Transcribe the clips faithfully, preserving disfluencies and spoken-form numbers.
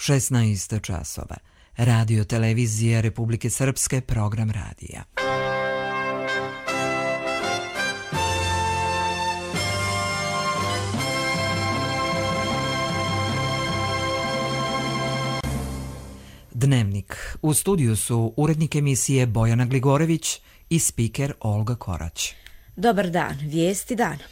šesnaest časova. Radio televizija Republike Srpske, program radija. Dnevnik. U studiju su urednik emisije Bojana Gligorević i spiker Olga Korać. Dobar dan, vijesti dana.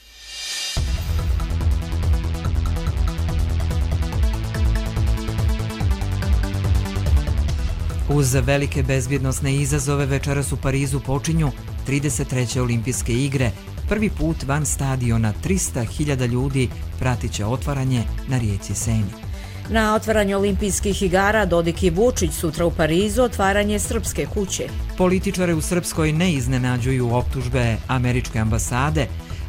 Uz velike bezbjednosne izazove večeras u Parizu počinju trideset treće olimpijske igre. Prvi put van stadiona trista hiljada ljudi pratit će otvaranje na rijeci Seni. Na otvaranju olimpijskih igara Dodik i Vučić, sutra u Parizu otvaranje Srpske kuće. Političare u Srpskoj ne iznenađuju optužbe američke ambasade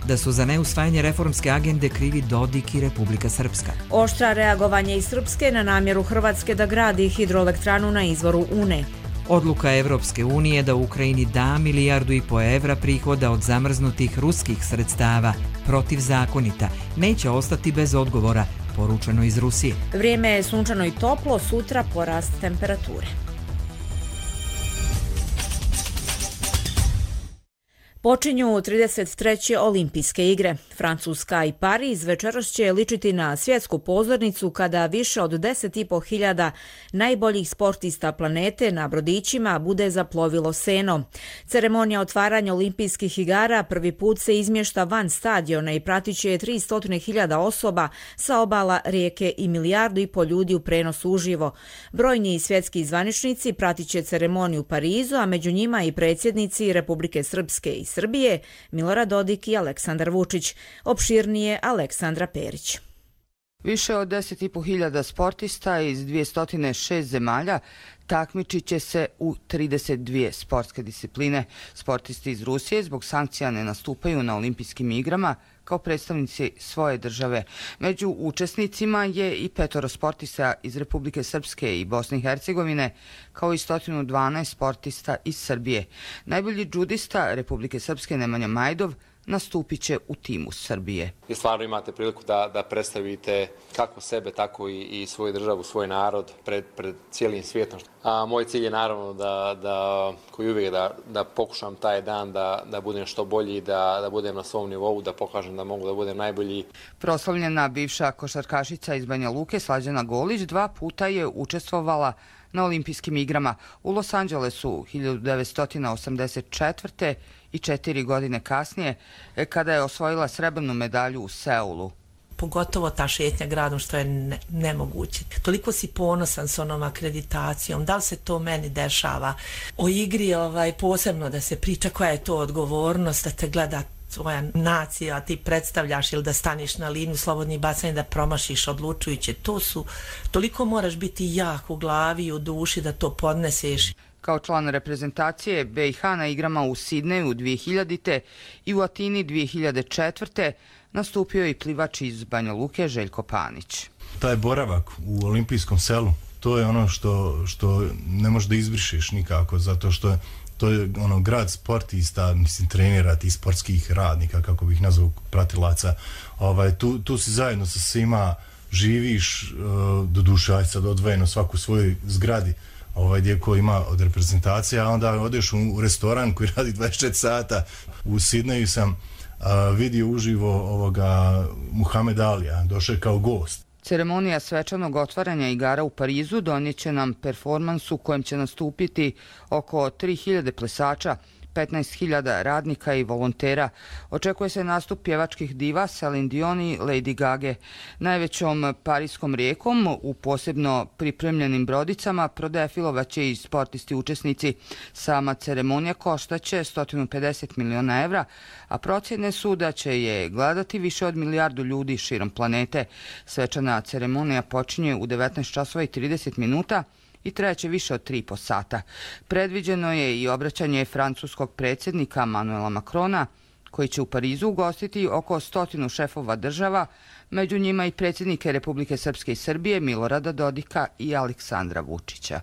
da su za neusvajanje reformske agende krivi Dodik i Republika Srpska. Oštra reagovanje iz Srpske na namjeru Hrvatske da gradi hidroelektranu na izvoru Une. Odluka Evropske unije da Ukrajini da milijardu i po evra prihoda od zamrznutih ruskih sredstava protivzakonita neće ostati bez odgovora, poručeno iz Rusije. Vrijeme je sunčano i toplo, sutra porast temperature. Počinju trideset treće olimpijske igre. Francuska i Pariz večeras će ličiti na svjetsku pozornicu kada više od deset i po hiljada najboljih sportista planete na brodićima bude zaplovilo Senom. Ceremonija otvaranja olimpijskih igara prvi put se izmješta van stadiona i pratit će tristo hiljada osoba sa obala rijeke i milijardu i po ljudi u prenosu uživo. Brojni svjetski zvaničnici pratit će ceremoniju u Parizu, a među njima i predsjednici Republike Srpske i Srbije, Milorad Dodik i Aleksandar Vučić. Opširnije Aleksandra Perić. Više od deset i po hiljada sportista iz dvjesto šest zemalja takmičit će se u trideset dvije sportske discipline. Sportisti iz Rusije zbog sankcija ne nastupaju na olimpijskim igrama kao predstavnici svoje države. Među učesnicima je i petoro sportista iz Republike Srpske i Bosne i Hercegovine, kao i sto dvanaest sportista iz Srbije. Najbolji džudista Republike Srpske Nemanja Majdov nastupit će u timu Srbije. I stvarno imate priliku da, da predstavite kako sebe, tako i, i svoju državu, svoj narod pred, pred cijelim svijetom. A moj cilj je naravno da, da koji uvijek da, da pokušam taj dan da, da budem što bolji, da, da budem na svom nivou, da pokažem da mogu da budem najbolji. Proslavljena bivša košarkašica iz Banja Luke Slađana Golić dva puta je učestvovala na olimpijskim igrama u Los Angelesu hiljadu devetsto osamdeset četvrte i četiri godine kasnije, kada je osvojila srebrnu medalju u Seulu. Pogotovo ta šetnja gradom, što je ne, nemoguće. Toliko si ponosan s onom akreditacijom, da li se to meni dešava? O igri ovaj, posebno da se priča koja je to odgovornost, da te gleda tvoja nacija, a ti predstavljaš ili da staniš na liniju slobodnih bacanja, da promašiš odlučujuće. To su, toliko moraš biti jak u glavi i u duši da to podneseš. Kao član reprezentacije B i H na igrama u Sidneju dvije hiljadite i u Atini dvije hiljade četvrte nastupio je i plivač iz Banja Luke Željko Panić. Taj boravak u olimpijskom selu, to je ono što, što ne možeš da izbrišeš nikako, zato što je to je ono grad sportista, mislim trenera, tih sportskih radnika, kako bih nazvao, pratilaca. Ovaj, tu, tu si zajedno sa svima živiš, uh, do duše, aj sad odvojeno svaku svojoj zgradi, ovaj, gdje ko ima od reprezentacije, a onda odeš u, u restoran koji radi dvadeset četiri sata. U Sidneju sam uh, vidio uživo ovoga Muhameda Alija, došao je kao gost. Ceremonija svečanog otvaranja igara u Parizu donijet će nam performans u kojem će nastupiti oko tri hiljade plesača, petnaest hiljada radnika i volontera. Očekuje se nastup pjevačkih diva Celine Dion i Lady Gage. Najvećom parijskom rijekom u posebno pripremljenim brodicama prodefilovaće i sportisti učesnici. Sama ceremonija koštaće sto pedeset miliona evra, a procjene su da će je gledati više od milijardu ljudi širom planete. Svečana ceremonija počinje u devetnaest časova i trideset minuta i trajaće više od tri i po sata. Predviđeno je i obraćanje francuskog predsjednika Manuela Macrona, koji će u Parizu ugostiti oko stotinu šefova država, među njima i predsjednike Republike Srpske i Srbije Milorada Dodika i Aleksandra Vučića.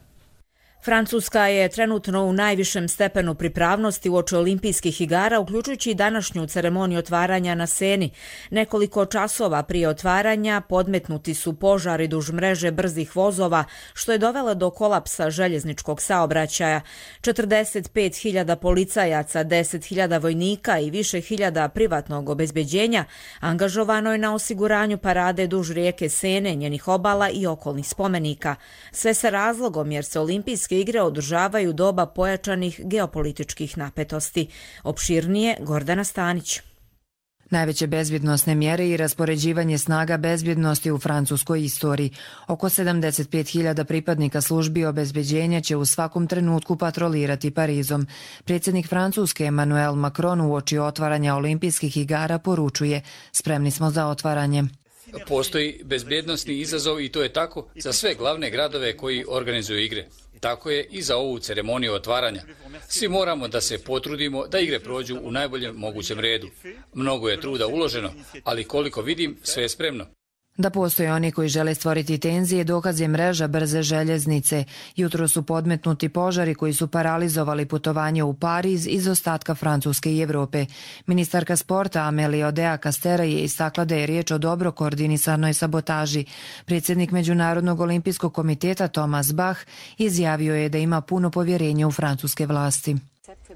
Francuska je trenutno u najvišem stepenu pripravnosti uoči olimpijskih igara, uključujući i današnju ceremoniju otvaranja na Seni. Nekoliko časova prije otvaranja podmetnuti su požari duž mreže brzih vozova, što je dovelo do kolapsa željezničkog saobraćaja. četrdeset pet hiljada policajaca, deset hiljada vojnika i više hiljada privatnog obezbeđenja angažovano je na osiguranju parade duž rijeke Sene, njenih obala i okolnih spomenika. Sve sa razlogom jer se olimpijske igre održavaju doba pojačanih geopolitičkih napetosti. Opširnije Gordana Stanić. Najveće bezbjednosne mjere i raspoređivanje snaga bezbjednosti u francuskoj istoriji. Oko sedamdeset pet hiljada pripadnika službi obezbeđenja će u svakom trenutku patrolirati Parizom. Predsjednik Francuske Emmanuel Macron uoči otvaranja olimpijskih igara poručuje: spremni smo za otvaranje. Postoji bezbjednosni izazov i to je tako za sve glavne gradove koji organizuju igre. Tako je i za ovu ceremoniju otvaranja. Svi moramo da se potrudimo da igre prođu u najboljem mogućem redu. Mnogo je truda uloženo, ali koliko vidim, sve je spremno. Da postoje oni koji žele stvoriti tenzije, dokaz je mreža brze željeznice. Jutro su podmetnuti požari koji su paralizovali putovanje u Pariz iz ostatka Francuske i Evrope. Ministarka sporta Amélie Oudéa-Castéra je istakla da je riječ o dobro koordinisanoj sabotaži. Predsjednik Međunarodnog olimpijskog komiteta Thomas Bach izjavio je da ima puno povjerenja u francuske vlasti.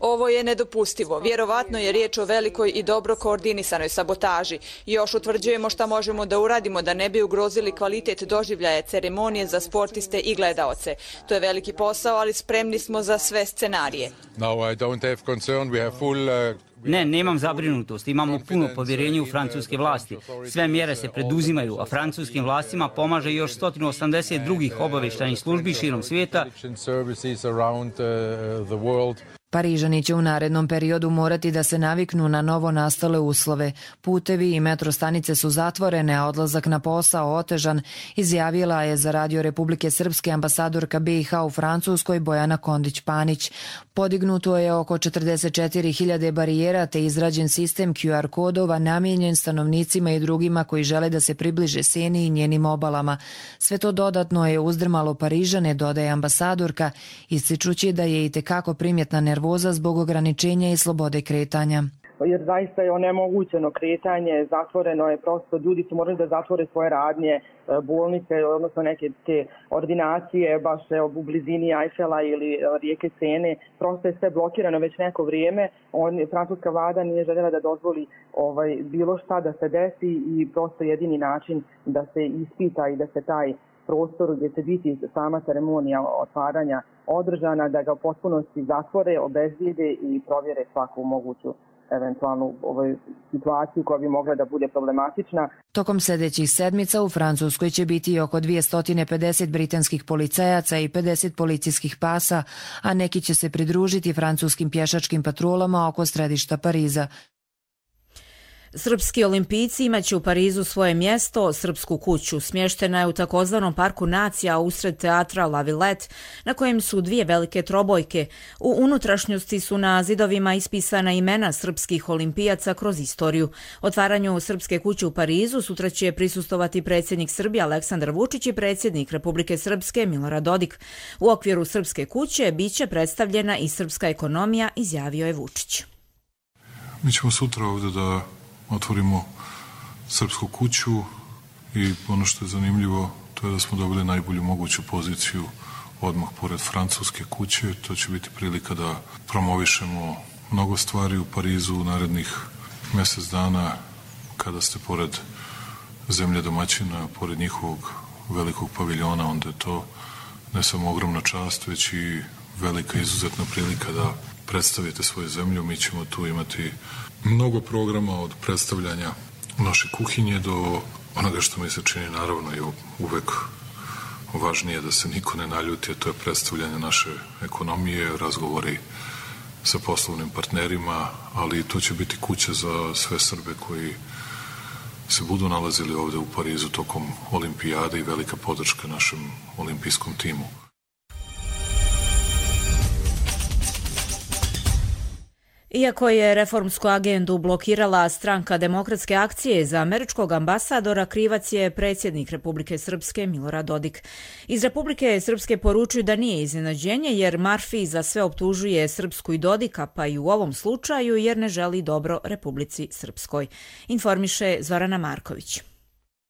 Ovo je nedopustivo. Vjerovatno je riječ o velikoj i dobro koordinisanoj sabotaži. Još utvrđujemo šta možemo da uradimo da ne bi ugrozili kvalitet doživljaja ceremonije za sportiste i gledaoce. To je veliki posao, ali spremni smo za sve scenarije. Ne, nemam zabrinutost. Imamo puno povjerenje u francuske vlasti. Sve mjere se preduzimaju, a francuskim vlastima pomaže još sto osamdeset drugih obavještajnih službi širom svijeta. Parižani će u narednom periodu morati da se naviknu na novo nastale uslove. Putevi i metro stanice su zatvorene, a odlazak na posao otežan, izjavila je za Radio Republike Srpske ambasadorka B i H u Francuskoj Bojana Kondić-Panić. Podignuto je oko četrdeset četiri hiljade barijera te izrađen sistem Q R kodova namijenjen stanovnicima i drugima koji žele da se približe Seni i njenim obalama. Sve to dodatno je uzdrmalo Parižane, dodaje ambasadorka, ističući da je itekako primjetna nervoza zbog ograničenja i slobode kretanja. Jer zaista je onemogućeno kretanje, zatvoreno je prosto, ljudi su morali da zatvore svoje radnje, bolnice, odnosno neke te ordinacije, baš u blizini Eiffela ili rijeke Sene, prosto je sve blokirano već neko vrijeme. On, francuska vlada nije željela da dozvoli ovaj, bilo šta da se desi i prosto jedini način da se ispita i da se taj prostor gdje će biti sama ceremonija otvaranja održana, da ga u potpunosti zatvore, obezbijede i provjere svaku moguću eventualnu ovoj situaciju koja bi mogla da bude problematična. Tokom sljedećih sedmica u Francuskoj će biti oko dvjesto pedeset britanskih policajaca i pedeset policijskih pasa, a neki će se pridružiti francuskim pješačkim patrolama oko središta Pariza. Srpski olimpijci imaće u Parizu svoje mjesto, Srpsku kuću. Smještena je u takozvanom parku nacija usred teatra La Villette, na kojem su dvije velike trobojke. U unutrašnjosti su na zidovima ispisana imena srpskih olimpijaca kroz istoriju. Otvaranju Srpske kuće u Parizu sutra će prisustovati predsjednik Srbije Aleksandar Vučić i predsjednik Republike Srpske Milorad Dodik. U okviru Srpske kuće biće predstavljena i srpska ekonomija, izjavio je Vučić. Mi ćemo sutra ovdje da otvorimo Srpsku kuću i ono što je zanimljivo to je da smo dobili najbolju moguću poziciju odmah pored Francuske kuće. To će biti prilika da promovišemo mnogo stvari u Parizu u narednih mjesec dana kada ste pored zemlje domaćina, pored njihovog velikog paviljona, onda je to ne samo ogromna čast, već i velika izuzetna prilika da predstavite svoju zemlju. Mi ćemo tu imati mnogo programa od predstavljanja naše kuhinje do onoga što mi se čini naravno i uvek važnije da se niko ne naljuti, a to je predstavljanje naše ekonomije, razgovori sa poslovnim partnerima, ali to će biti kuća za sve Srbe koji se budu nalazili ovde u Parizu tokom olimpijade i velika podrška našem olimpijskom timu. Iako je reformsku agendu blokirala stranka Demokratske akcije, za američkog ambasadora krivac je predsjednik Republike Srpske Milorad Dodik. Iz Republike Srpske poručuju da nije iznenađenje jer Marfi za sve optužuje Srpsku i Dodika, pa i u ovom slučaju jer ne želi dobro Republici Srpskoj. Informiše Zorana Marković.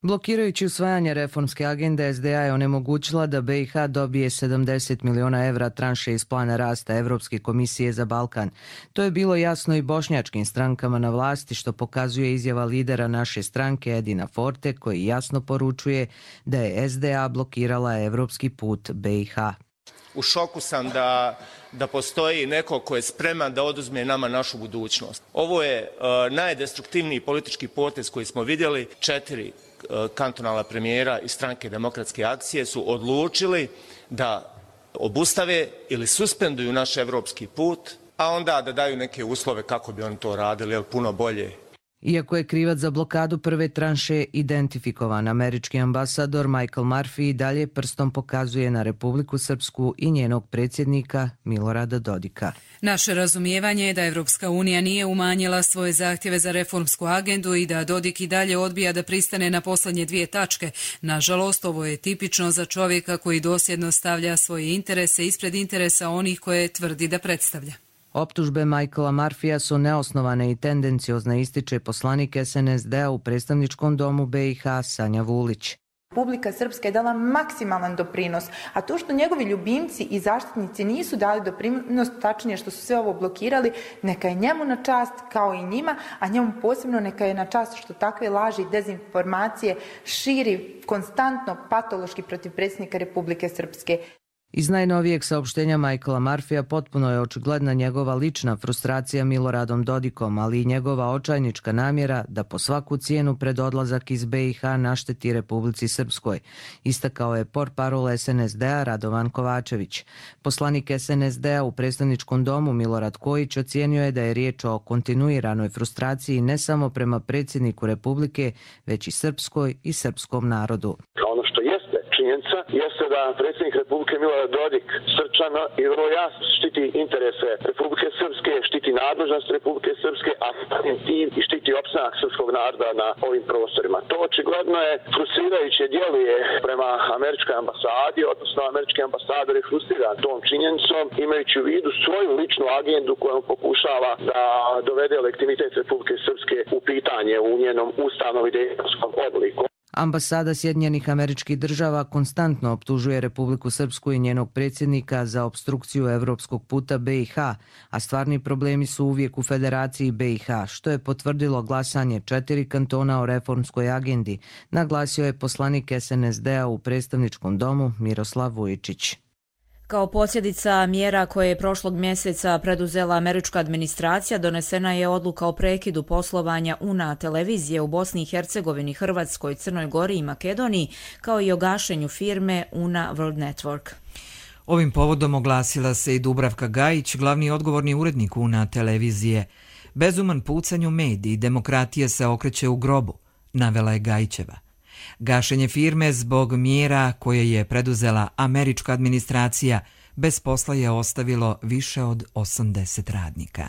Blokirajući usvajanje reformske agende, S D A je onemogućila da B i H dobije sedamdeset miliona evra tranše iz plana rasta Evropske komisije za Balkan. To je bilo jasno i bošnjačkim strankama na vlasti, što pokazuje izjava lidera naše stranke Edina Forte, koji jasno poručuje da je S D A blokirala evropski put B i H. U šoku sam da, da postoji neko ko je spreman da oduzme nama našu budućnost. Ovo je uh, najdestruktivniji politički potez koji smo vidjeli. Četiri uh, kantonalna premijera iz stranke Demokratske akcije su odlučili da obustave ili suspenduju naš evropski put, a onda da daju neke uslove kako bi oni to radili, jer puno bolje. Iako je krivac za blokadu prve tranše identifikovan, američki ambasador Michael Murphy i dalje prstom pokazuje na Republiku Srpsku i njenog predsjednika Milorada Dodika. Naše razumijevanje je da Evropska unija nije umanjila svoje zahtjeve za reformsku agendu i da Dodik i dalje odbija da pristane na posljednje dvije tačke. Nažalost, ovo je tipično za čovjeka koji dosljedno stavlja svoje interese ispred interesa onih koje tvrdi da predstavlja. Optužbe Michaela Murphyja su neosnovane i tendenciozne, ističe poslanik S N S D-a u predstavničkom domu B i H Sanja Vulić. Republika Srpska je dala maksimalan doprinos, a to što njegovi ljubimci i zaštitnici nisu dali doprinos, tačnije što su sve ovo blokirali, neka je njemu na čast kao i njima, a njemu posebno neka je na čast što takve laži i dezinformacije širi konstantno patološki protiv predsjednika Republike Srpske. Iz najnovijeg saopštenja Michaela Murphyja potpuno je očigledna njegova lična frustracija Miloradom Dodikom, ali i njegova očajnička namjera da po svaku cijenu pred odlazak iz B i H našteti Republici Srpskoj, istakao je portparol S N S D-a Radovan Kovačević. Poslanik S N S D-a u predstavničkom domu Milorad Kojić ocijenio je da je riječ o kontinuiranoj frustraciji ne samo prema predsjedniku Republike, već i srpskoj i srpskom narodu. Ono što jeste činjenica jeste da predsjednik Republike Milorad Dodik srčano i vrlo jasno štiti interese Republike Srpske, štiti nadležnost Republike Srpske, a tim i štiti opstanak srpskog naroda na ovim prostorima. To očigledno je frustrirajuće djeluje prema američkoj ambasadi, odnosno američki ambasador je frustriran tom činjenicom, imajući u vidu svoju ličnu agendu kojom pokušava da dovede legitimitet Republike Srpske u pitanje u njenom ustavnom i demokratskom obliku. Ambasada Sjedinjenih Američkih Država konstantno optužuje Republiku Srpsku i njenog predsjednika za opstrukciju evropskog puta B i H, a stvarni problemi su uvijek u Federaciji B i H, što je potvrdilo glasanje četiri kantona o reformskoj agendi, naglasio je poslanik S N S D-a u predstavničkom domu Miroslav Vujičić. Kao posljedica mjera koje je prošlog mjeseca preduzela američka administracija, donesena je odluka o prekidu poslovanja U N A televizije u Bosni i Hercegovini, Hrvatskoj, Crnoj Gori i Makedoniji, kao i o gašenju firme U N A World Network. Ovim povodom oglasila se i Dubravka Gajić, glavni odgovorni urednik U N A televizije. Bezuman pucanj u mediji, demokratija se okreće u grobu, navela je Gajićeva. Gašenje firme zbog mjera koje je preduzela američka administracija bez posla je ostavilo više od osamdeset radnika.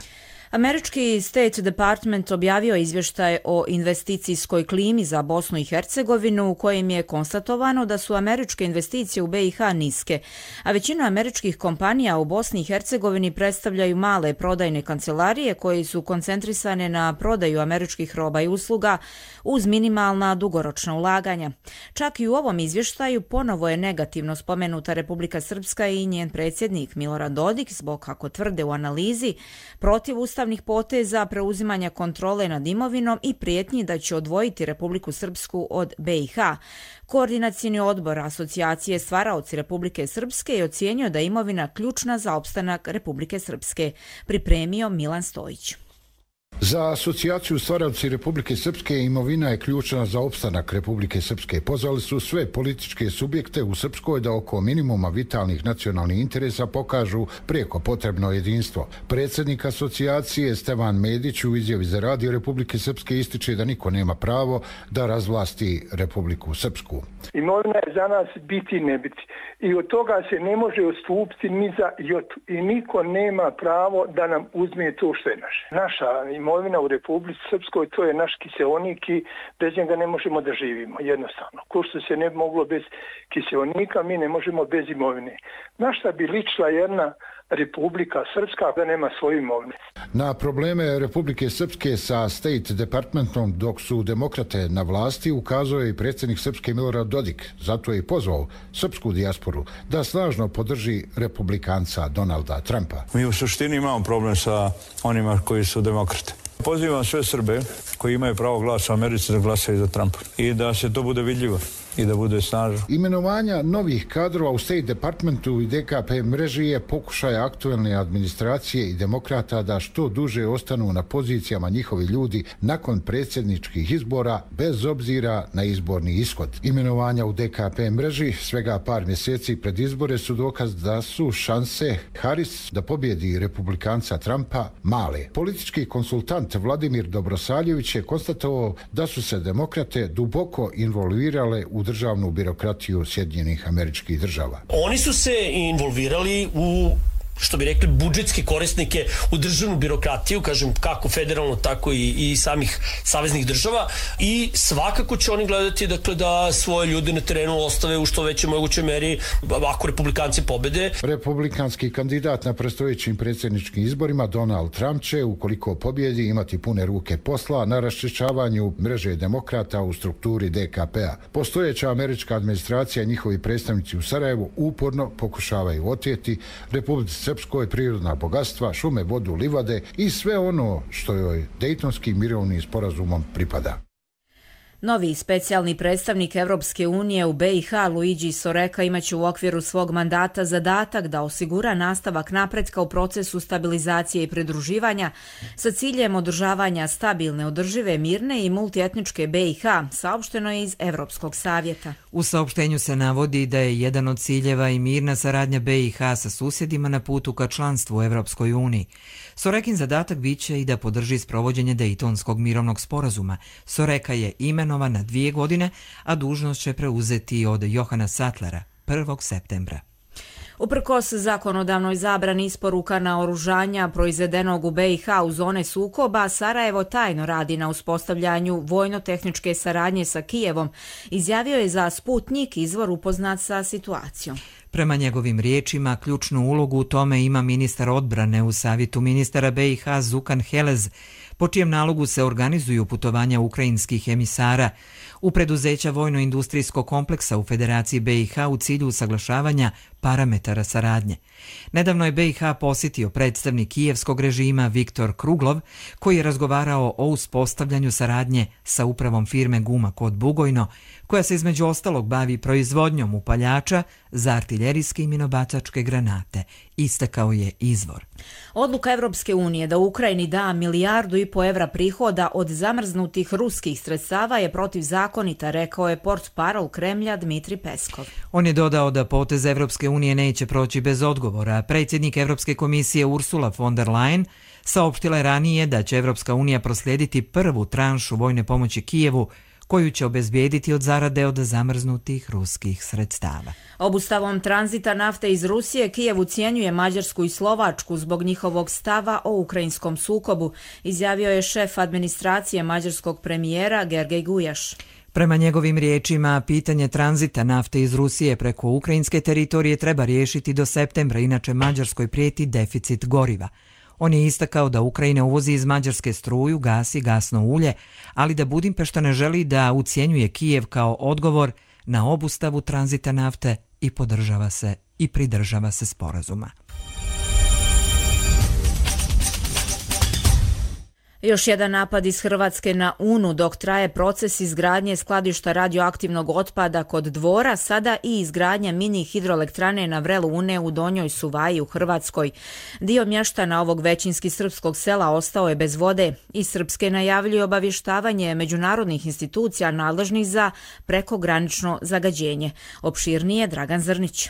Američki State Department objavio izvještaj o investicijskoj klimi za Bosnu i Hercegovinu u kojem je konstatovano da su američke investicije u B i H niske, a većina američkih kompanija u Bosni i Hercegovini predstavljaju male prodajne kancelarije koje su koncentrisane na prodaju američkih roba i usluga uz minimalna dugoročna ulaganja. Čak i u ovom izvještaju ponovo je negativno spomenuta Republika Srpska i njen predsjednik Milorad Dodik zbog, kako tvrde u analizi, protiv ustavnih poteza, preuzimanja kontrole nad imovinom i prijetnji da će odvojiti Republiku Srpsku od B i H. Koordinacioni odbor asocijacije Stvaraoci Republike Srpske je ocijenio da je imovina ključna za opstanak Republike Srpske, pripremio Milan Stojić. Za asocijaciju stvaraoci Republike Srpske imovina je ključna za opstanak Republike Srpske. Pozvali su sve političke subjekte u Srpskoj da oko minimuma vitalnih nacionalnih interesa pokažu prijeko potrebno jedinstvo. Predsjednik asocijacije Stevan Medić u izjavi za Radio Republike Srpske ističe da niko nema pravo da razvlasti Republiku Srpsku. Imovina je za nas biti i ne biti. I od toga se ne može odstupiti ni za jotu. I niko nema pravo da nam uzme to što je naše. Naša imovina u Republici Srpskoj, to je naš kiseonik i bez njega ne možemo da živimo, jednostavno. Ko što se ne bi moglo bez kiseonika, mi ne možemo bez imovine. Na šta bi ličila jedna Republika Srpska da nema svoje imovine? Na probleme Republike Srpske sa State Departmentom dok su demokrate na vlasti ukazao je i predsjednik Srpske Milorad Dodik. Zato je i pozvao srpsku dijasporu da snažno podrži republikanca Donalda Trumpa. Mi u suštini imamo problem sa onima koji su demokrate. Pozivam sve Srbe koji imaju pravo glasa u Americi da glasaju za Trumpa i da se to bude vidljivo i da bude snažno. Imenovanja novih kadrova u State Departmentu i D K P mreži je pokušaj aktuelne administracije i demokrata da što duže ostanu na pozicijama njihovi ljudi nakon predsjedničkih izbora bez obzira na izborni ishod. Imenovanja u D K P mreži svega par mjeseci pred izbore su dokaz da su šanse Harris da pobjedi republikanca Trumpa male. Politički konsultant Vladimir Dobrosaljević je konstatovao da su se demokrate duboko involvirale u državnu birokratiju Sjedinjenih Američkih Država. Oni su se involvirali u, što bi rekli, budžetske korisnike, u državnu birokratiju, kažem, kako federalno, tako i, i samih saveznih država, i svakako će oni gledati, dakle, da svoje ljude na terenu ostave u što većoj mogućoj meri ako republikanci pobede. Republikanski kandidat na predstojećim predsjedničkim izborima Donald Trump će, ukoliko pobjedi, imati pune ruke posla na raščišćavanju mreže demokrata u strukturi D K P-a. Postojeća američka administracija i njihovi predstavnici u Sarajevu uporno pokušavaju oteti Republici Srpskoj prirodna bogatstva, šume, vodu, livade i sve ono što joj Dejtonskim mirovnim sporazumom pripada. Novi specijalni predstavnik Evropske unije u B i H Luigi Soreka imaće u okviru svog mandata zadatak da osigura nastavak napretka u procesu stabilizacije i pridruživanja sa ciljem održavanja stabilne, održive, mirne i multietničke B i H, saopšteno je iz Evropskog savjeta. U saopštenju se navodi da je jedan od ciljeva i mirna saradnja B i H sa susjedima na putu ka članstvu u Evropskoj uniji. Sorekin zadatak biće i da podrži sprovođenje Dejtonskog mirovnog sporazuma. Soreka je imenovan na dvije godine, a dužnost će preuzeti od Johana Sattlera prvog septembra. Uprkos zakonodavnoj zabrani isporuka naoružanja proizvedenog u B i H u zone sukoba, Sarajevo tajno radi na uspostavljanju vojno-tehničke saradnje sa Kijevom, izjavio je za Sputnik, izvor upoznat sa situacijom. Prema njegovim riječima, ključnu ulogu u tome ima ministar odbrane u savjetu ministara B i H Zukan Helez, po čijem nalogu se organizuju putovanja ukrajinskih emisara u preduzeća vojno-industrijskog kompleksa u Federaciji B i H u cilju usaglašavanja parametara saradnje. Nedavno je B i H posjetio predstavnik kijevskog režima Viktor Kruglov, koji je razgovarao o uspostavljanju saradnje sa upravom firme Guma kod Bugojno, koja se između ostalog bavi proizvodnjom upaljača za artiljerijske i minobacačke granate, istakao je izvor. Odluka Evropske unije da Ukrajini da milijardu i po evra prihoda od zamrznutih ruskih sredstava je protivzakonita, rekao je portparol Kremlja Dmitri Peskov. On je dodao da potez Evropske unije neće proći bez odgovora. Predsjednik Evropske komisije Ursula von der Leyen saopštila je ranije da će Evropska unija proslijediti prvu tranšu vojne pomoći Kijevu, koju će obezbijediti od zarade od zamrznutih ruskih sredstava. Obustavom tranzita nafte iz Rusije, Kijev ucijenjuje Mađarsku i Slovačku zbog njihovog stava o ukrajinskom sukobu, izjavio je šef administracije mađarskog premijera Gergej Gujaš. Prema njegovim riječima, pitanje tranzita nafte iz Rusije preko ukrajinske teritorije treba riješiti do septembra, inače Mađarskoj prijeti deficit goriva. On je istakao da Ukrajina uvozi iz Mađarske struju, gas i gasno ulje, ali da Budimpešta ne želi da ucijenjuje Kijev kao odgovor na obustavu tranzita nafte i podržava se i pridržava se sporazuma. Još jedan napad iz Hrvatske na Unu, dok traje proces izgradnje skladišta radioaktivnog otpada kod Dvora, sada i izgradnja mini hidroelektrane na vrelu Une u Donjoj Suvaji u Hrvatskoj. Dio mještana ovog većinski srpskog sela ostao je bez vode i Srpske najavljuju obavještavanje međunarodnih institucija nadležnih za prekogranično zagađenje. Opširnije Dragan Zrnić.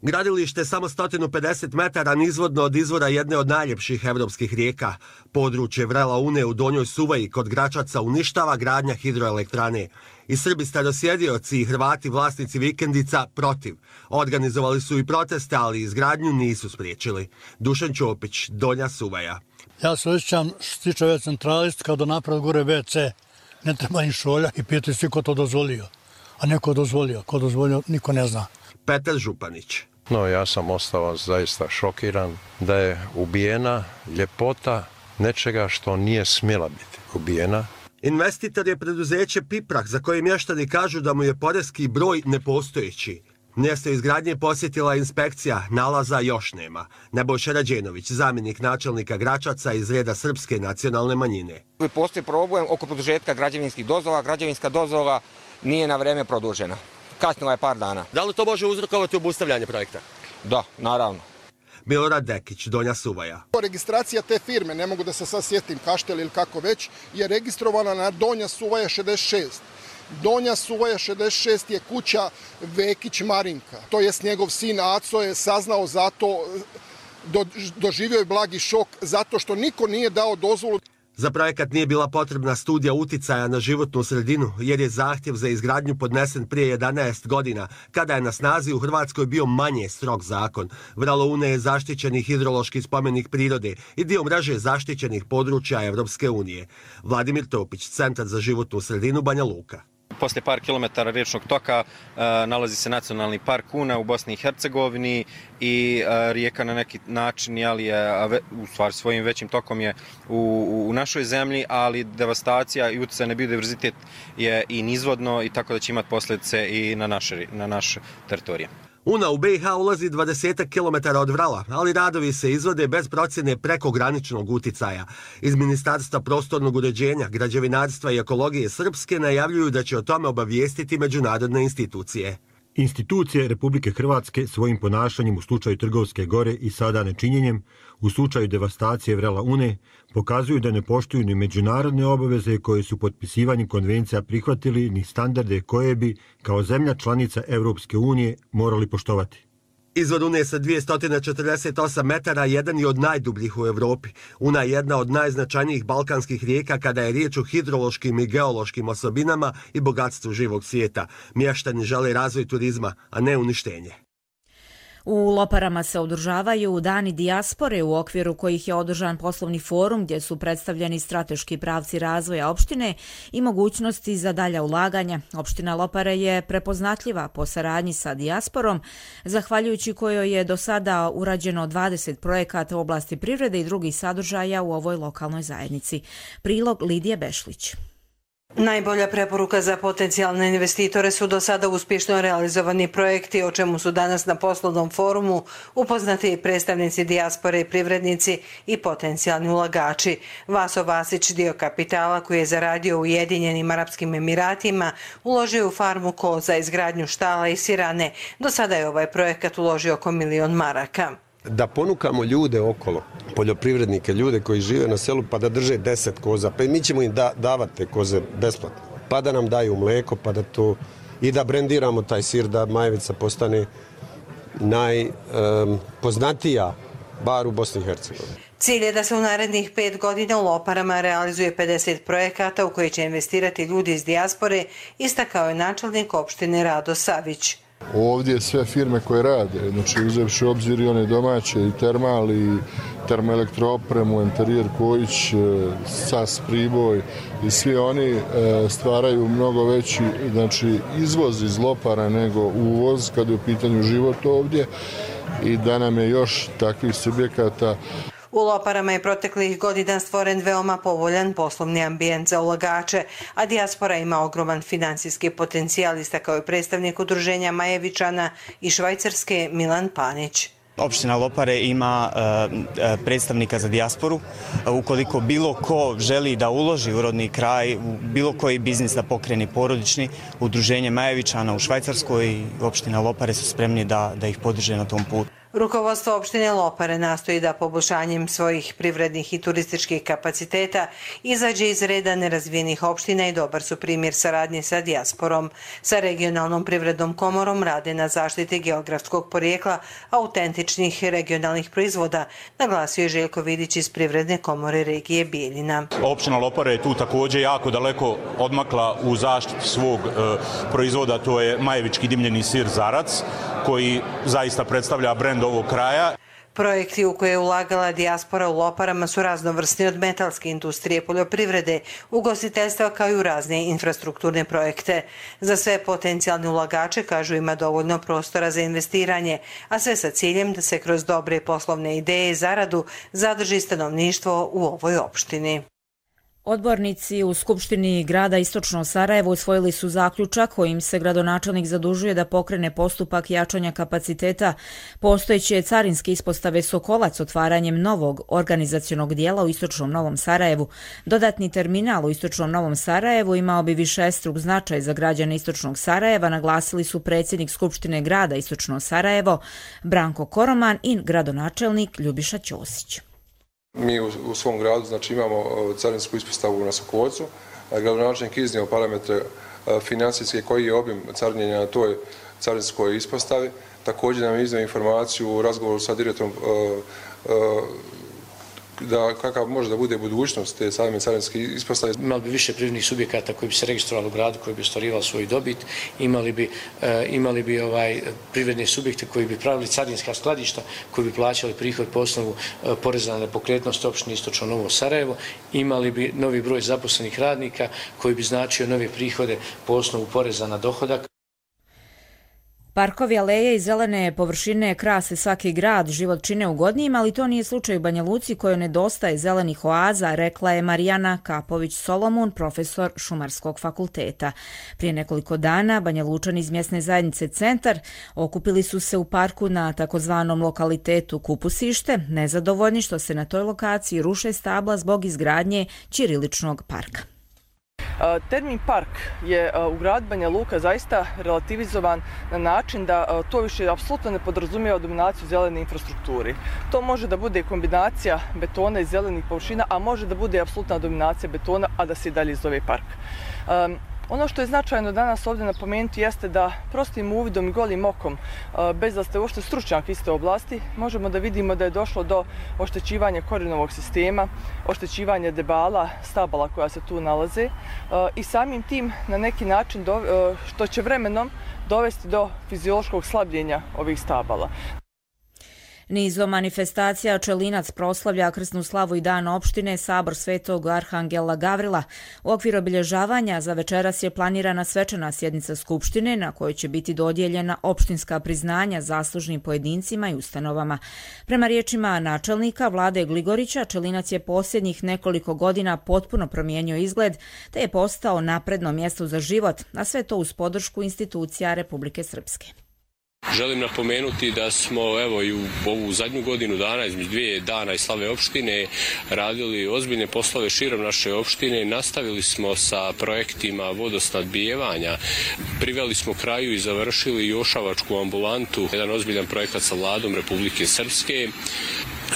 Gradilište je samo sto pedeset metara nizvodno od izvora jedne od najljepših evropskih rijeka. Područje vrela Une u Donjoj Suvaji kod Gračaca uništava gradnja hidroelektrane. I Srbi starosjedioci i Hrvati vlasnici vikendica protiv. Organizovali su i proteste, ali izgradnju nisu spriječili. Dušan Ćopić, Donja Suvaja. Ja se osjećam štičave centralist kada napravi gore ve ce. Ne treba ni šolja i pitaju svi ko to dozvolio. A neko dozvolio. Ko dozvolio, niko ne zna. Petar Županić. No, ja sam ostao zaista šokiran da je ubijena ljepota nečega što nije smjela biti ubijena. Investitor je preduzeće Piprah, za koje mještani kažu da mu je poreski broj nepostojeći. Mjesto izgradnje posjetila inspekcija, nalaza još nema. Nebojša Rađenović, zamjenik načelnika Gračaca iz reda Srpske nacionalne manjine. Postoji problem oko produžetka građevinskih dozvola. Građevinska dozvola nije na vreme produžena. Kasnila je par dana. Da li to može uzrokovati obustavljanje projekta? Da, naravno. Milorad Dekić, Donja Suvaja. Registracija te firme, ne mogu da se sad sjetim Kaštel ili kako već, je registrovana na Donja Suvaja šezdeset šest. Donja Suvaja šezdeset šest je kuća Vekić Marinka. To jest njegov sin Aco je saznao zato, do, doživio je blagi šok zato što niko nije dao dozvolu. Za projekat nije bila potrebna studija uticaja na životnu sredinu, jer je zahtjev za izgradnju podnesen prije jedanaest godina, kada je na snazi u Hrvatskoj bio manje strog zakon. Vrelo Une je zaštićeni hidrološki spomenik prirode i dio mreže zaštićenih područja Evropske unije. Vladimir Topić, Centar za životnu sredinu, Banja Luka. Poslije par kilometara riječnog toka uh, nalazi se nacionalni park Una u Bosni i Hercegovini i uh, rijeka na neki način, ali je, u stvari svojim većim tokom je u, u našoj zemlji, ali devastacija i utjecaj na biodiverzitet je i nizvodno i tako da će imati posljedice i na naše, na naše teritorije. Una u be i ha ulazi dvadeset kilometara od Vrala, ali radovi se izvode bez procjene prekograničnog uticaja. Iz Ministarstva prostornog uređenja, građevinarstva i ekologije Srpske najavljuju da će o tome obavijestiti međunarodne institucije. Institucije Republike Hrvatske svojim ponašanjem u slučaju Trgovske gore i sada nečinjenjem, u slučaju devastacije vrela Une, pokazuju da ne poštuju ni međunarodne obaveze koje su potpisivanjem konvencija prihvatili, ni standarde koje bi, kao zemlja članica Evropske unije, morali poštovati. Izvor Une sa dvjesto četrdeset osam metara jedan je od najdubljih u Evropi. Una je jedna od najznačajnijih balkanskih rijeka kada je riječ o hidrološkim i geološkim osobinama i bogatstvu živog svijeta. Mještani žele razvoj turizma, a ne uništenje. U Loparama se održavaju dani dijaspore u okviru kojih je održan poslovni forum gdje su predstavljeni strateški pravci razvoja opštine i mogućnosti za dalja ulaganja. Opština Lopare je prepoznatljiva po saradnji sa dijasporom, zahvaljujući kojoj je do sada urađeno dvadeset projekata u oblasti privrede i drugih sadržaja u ovoj lokalnoj zajednici. Prilog Lidije Bešlić. Najbolja preporuka za potencijalne investitore su do sada uspješno realizovani projekti, o čemu su danas na poslovnom forumu upoznati predstavnici dijaspore i privrednici i potencijalni ulagači. Vaso Vasić, dio kapitala koji je zaradio u Ujedinjenim Arapskim Emiratima, uložio u farmu koza, izgradnju štala i sirane. Do sada je ovaj projekat uložio oko milion maraka. Da ponukamo ljude okolo, poljoprivrednike, ljude koji žive na selu, pa da drže deset koza, pa i mi ćemo im da, davati te koze besplatno, pa da nam daju mlijeko, pa da to i da brendiramo taj sir, da Majevica postane najpoznatija um, bar u Bosni i Hercegovini. Cilj je da se u narednih pet godina u Loparama realizuje pedeset projekata u koji će investirati ljudi iz dijaspore, istakao je načelnik opštine Rado Savić. Ovdje sve firme koje rade, znači uzevši obzir i one domaće, i termal, i termoelektroopremu, Interijer Kojić, S A S Priboj i svi oni stvaraju mnogo veći, znači, izvoz iz Lopara nego uvoz kada je u pitanju život ovdje i da nam je još takvih subjekata. U Loparama je proteklih godina stvoren veoma povoljan poslovni ambijent za ulagače, a dijaspora ima ogroman finansijski potencijal, istakao je predstavnik udruženja Majevičana i Švajcarske Milan Panić. Opština Lopare ima uh, predstavnika za dijasporu. Uh, ukoliko bilo ko želi da uloži u rodni kraj, u bilo koji biznis da pokrene porodični, udruženje Majevičana u Švajcarskoj i opština Lopare su spremni da, da ih podrže na tom putu. Rukovodstvo opštine Lopare nastoji da poboljšanjem svojih privrednih i turističkih kapaciteta izađe iz reda nerazvijenih opština i dobar su primjer saradnje sa dijasporom. Sa regionalnom privrednom komorom rade na zaštiti geografskog porijekla autentičnih regionalnih proizvoda, naglasio je Željko Vidić iz Privredne komore regije Bijeljina. Opština Lopare je tu također jako daleko odmakla u zaštiti svog e, proizvoda, to je majevički dimljeni sir Zarac, koji zaista predstavlja brend ovog kraja. Projekti u koje je ulagala dijaspora u Loparama su raznovrsni od metalske industrije, poljoprivrede, ugostiteljstva kao i u razne infrastrukturne projekte. Za sve potencijalne ulagače, kažu, ima dovoljno prostora za investiranje, a sve sa ciljem da se kroz dobre poslovne ideje i zaradu zadrži stanovništvo u ovoj opštini. Odbornici u Skupštini grada Istočno Sarajevo usvojili su zaključak kojim se gradonačelnik zadužuje da pokrene postupak jačanja kapaciteta postojeće carinske ispostave Sokolac otvaranjem novog organizacionog dijela u Istočnom Novom Sarajevu. Dodatni terminal u Istočnom Novom Sarajevu imao bi višestruk značaj za građane Istočnog Sarajeva, naglasili su predsjednik Skupštine grada Istočno Sarajevo Branko Koroman i gradonačelnik Ljubiša Ćosić. Mi u, u svom gradu znači, imamo carinsku ispostavu na Sokolcu. Gradonačelnik iznio parametre financijske koji je obim carinjenja na toj carinskoj ispostavi. Također nam je iznio informaciju u razgovoru sa direktorom da kakav može da bude budućnost te same carinske ispostave. Imali bi više privrednih subjekata koji bi se registrovali u gradu, koji bi ostvarivali svoju dobit, imali bi, e, imali bi ovaj, privredne subjekte koji bi pravili carinska skladišta, koji bi plaćali prihod po osnovu e, poreza na nepokretnost opštine Istočno Novo Sarajevo, imali bi novi broj zaposlenih radnika koji bi značio nove prihode po osnovu poreza na dohodak. Parkovi, aleje i zelene površine krase svaki grad, život čine ugodnijim, ali to nije slučaj u Banja Luci kojoj nedostaje zelenih oaza, rekla je Marijana Kapović-Solomun, profesor Šumarskog fakulteta. Prije nekoliko dana Banja Lučani iz mjesne zajednice Centar okupili su se u parku na takozvanom lokalitetu Kupusište, nezadovoljni što se na toj lokaciji ruše stabla zbog izgradnje ćiriličnog parka. Termin park je u gradu Banja Luka zaista relativizovan na način da to više apsolutno ne podrazumijeva dominaciju zelene infrastrukturi. To može da bude kombinacija betona i zelenih površina, a može da bude apsolutna dominacija betona, a da se i dalje zove park. Ono što je značajno danas ovdje napomenuti jeste da prostim uvidom i golim okom, bez da ste uopšte stručnjak iste oblasti, možemo da vidimo da je došlo do oštećivanja korijenovog sistema, oštećivanja debala, stabala koja se tu nalaze i samim tim na neki način što će vremenom dovesti do fiziološkog slabljenja ovih stabala. Nizom manifestacija Čelinac proslavlja krsnu slavu i dan opštine Sabor Svetog Arhangela Gavrila. U okviru obilježavanja za večeras je planirana svečana sjednica Skupštine na kojoj će biti dodijeljena opštinska priznanja zaslužnim pojedincima i ustanovama. Prema riječima načelnika Vlade Gligorića, Čelinac je posljednjih nekoliko godina potpuno promijenio izgled te je postao napredno mjesto za život, a sve to uz podršku institucija Republike Srpske. Želim napomenuti da smo evo i u ovu zadnju godinu dana, između dvije dana i slave opštine, radili ozbiljne poslove širom naše opštine. Nastavili smo sa projektima vodosnadbijevanja. Priveli smo kraju i završili Jošavačku ambulantu, jedan ozbiljan projekat sa Vladom Republike Srpske.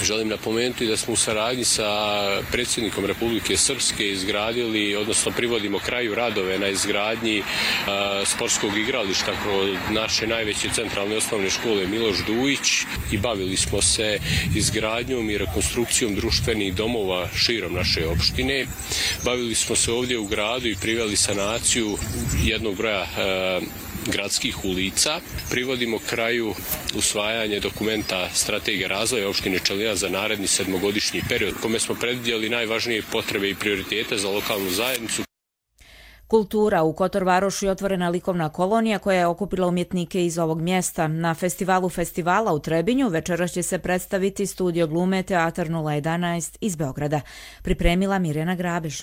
Želim napomenuti da smo u saradnji sa predsjednikom Republike Srpske izgradili, odnosno privodimo kraju radove na izgradnji a, sportskog igrališta kod naše najveće centralne osnovne škole Miloš Dujić i bavili smo se izgradnjom i rekonstrukcijom društvenih domova širom naše opštine. Bavili smo se ovdje u gradu i priveli sanaciju jednog broja a, gradskih ulica. Privodimo kraju usvajanje dokumenta strategije razvoja opštine Čelinac za naredni sedmogodišnji period, kome smo predvidjeli najvažnije potrebe i prioritete za lokalnu zajednicu. Kultura. U Kotor Varošu je otvorena likovna kolonija koja je okupila umjetnike iz ovog mjesta. Na festivalu festivala u Trebinju večeras će se predstaviti studio glume Teatar nula jedanaest iz Beograda. Pripremila Mirjana Grabež.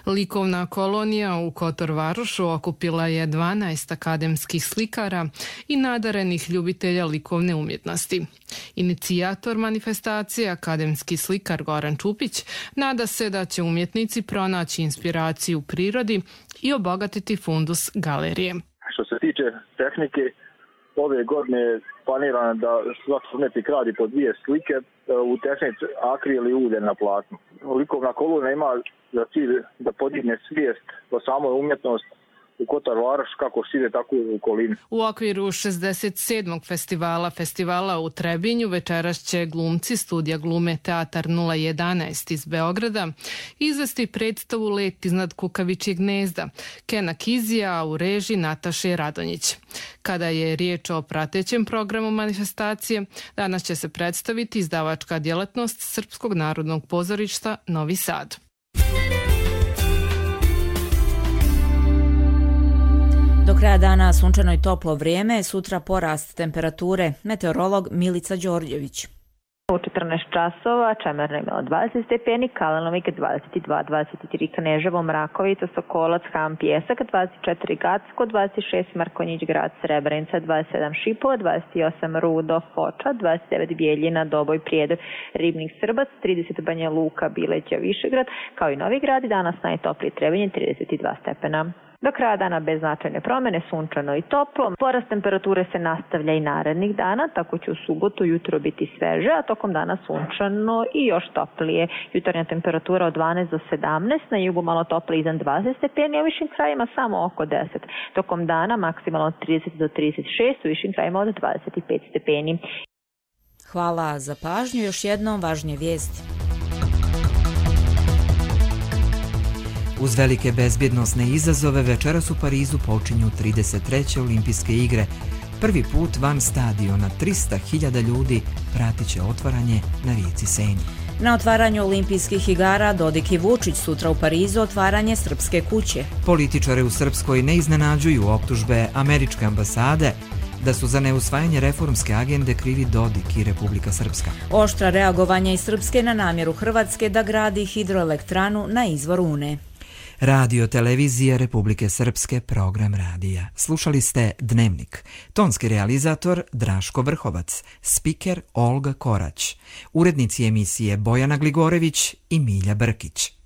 Likovna kolonija u Kotor Varošu okupila je dvanaest akademskih slikara i nadarenih ljubitelja likovne umjetnosti. Inicijator manifestacije, akademski slikar Goran Čupić, nada se da će umjetnici pronaći inspiraciju u prirodi i obogatiti fundus galerije. Što se tiče tehnike, ove godine je planirano da svaki umjetnik radi po dvije slike u tehnici akril i ulje na platnu. Likovna kolonija ima za cilj da podigne svijest o samoj umjetnosti u Kotor Varoš, kako šire, tako i u okolini. U okviru šezdeset sedmog festivala festivala u Trebinju večeras će glumci studija glume Teatar nula jedanaest iz Beograda izvesti predstavu Let iznad kukavičjeg gnezda Kena Kizija u režiji Nataše Radonjić. Kada je riječ o pratećem programu manifestacije, danas će se predstaviti izdavačka djelatnost Srpskog narodnog pozorišta Novi Sad. Do kraja dana sunčano i toplo vrijeme, sutra porast temperature. Meteorolog Milica Đorđević. U četrnaest časova Čemerno je imalo dvadeset stepeni, Kalenovik dvadeset dva, dvadeset tri Kneževo, Mrakovica, Sokolac, Ham, Pjesak, dvadeset četiri Gacko, dvadeset šest Markonjić Grad, Srebrenica, dvadeset sedam Šipova, dvadeset osam Rudo, Foča, dvadeset devet Bijeljina, Doboj, Prijedor, Ribnik, Srbac, trideset Banja Luka, Bileća, Višegrad, kao i Novi Grad i danas najtoplije Trebinje trideset dva stepena. Do kraja dana bez značajne promjene, sunčano i toplo. Porast temperature se nastavlja i narednih dana, tako će u subotu jutro biti sveže, a tokom dana sunčano i još toplije. Jutarnja temperatura od dvanaest do sedamnaest, na jugu malo toplije iznad dvadeset stepeni, a u višim krajima samo oko deset. Tokom dana maksimalno od trideset do trideset šest, u višim krajima od dvadeset pet stepeni. Hvala za pažnju, još jednom važnije vijesti. Uz velike bezbjednosne izazove večeras u Parizu počinju trideset treće olimpijske igre. Prvi put van stadiona trista hiljada ljudi pratit će otvaranje na rijeci Seni. Na otvaranju olimpijskih igara Dodik i Vučić, sutra u Parizu otvaranje Srpske kuće. Političare u Srpskoj ne iznenađuju optužbe američke ambasade da su za neusvajanje reformske agende krivi Dodik i Republika Srpska. Oštra reagovanja iz Srpske na namjeru Hrvatske da gradi hidroelektranu na izvor Une. Radio Televizija Republike Srpske, program radija. Slušali ste Dnevnik. Tonski realizator Draško Vrhovac, spiker Olga Korać, urednici emisije Bojana Gligorević i Milja Brkić.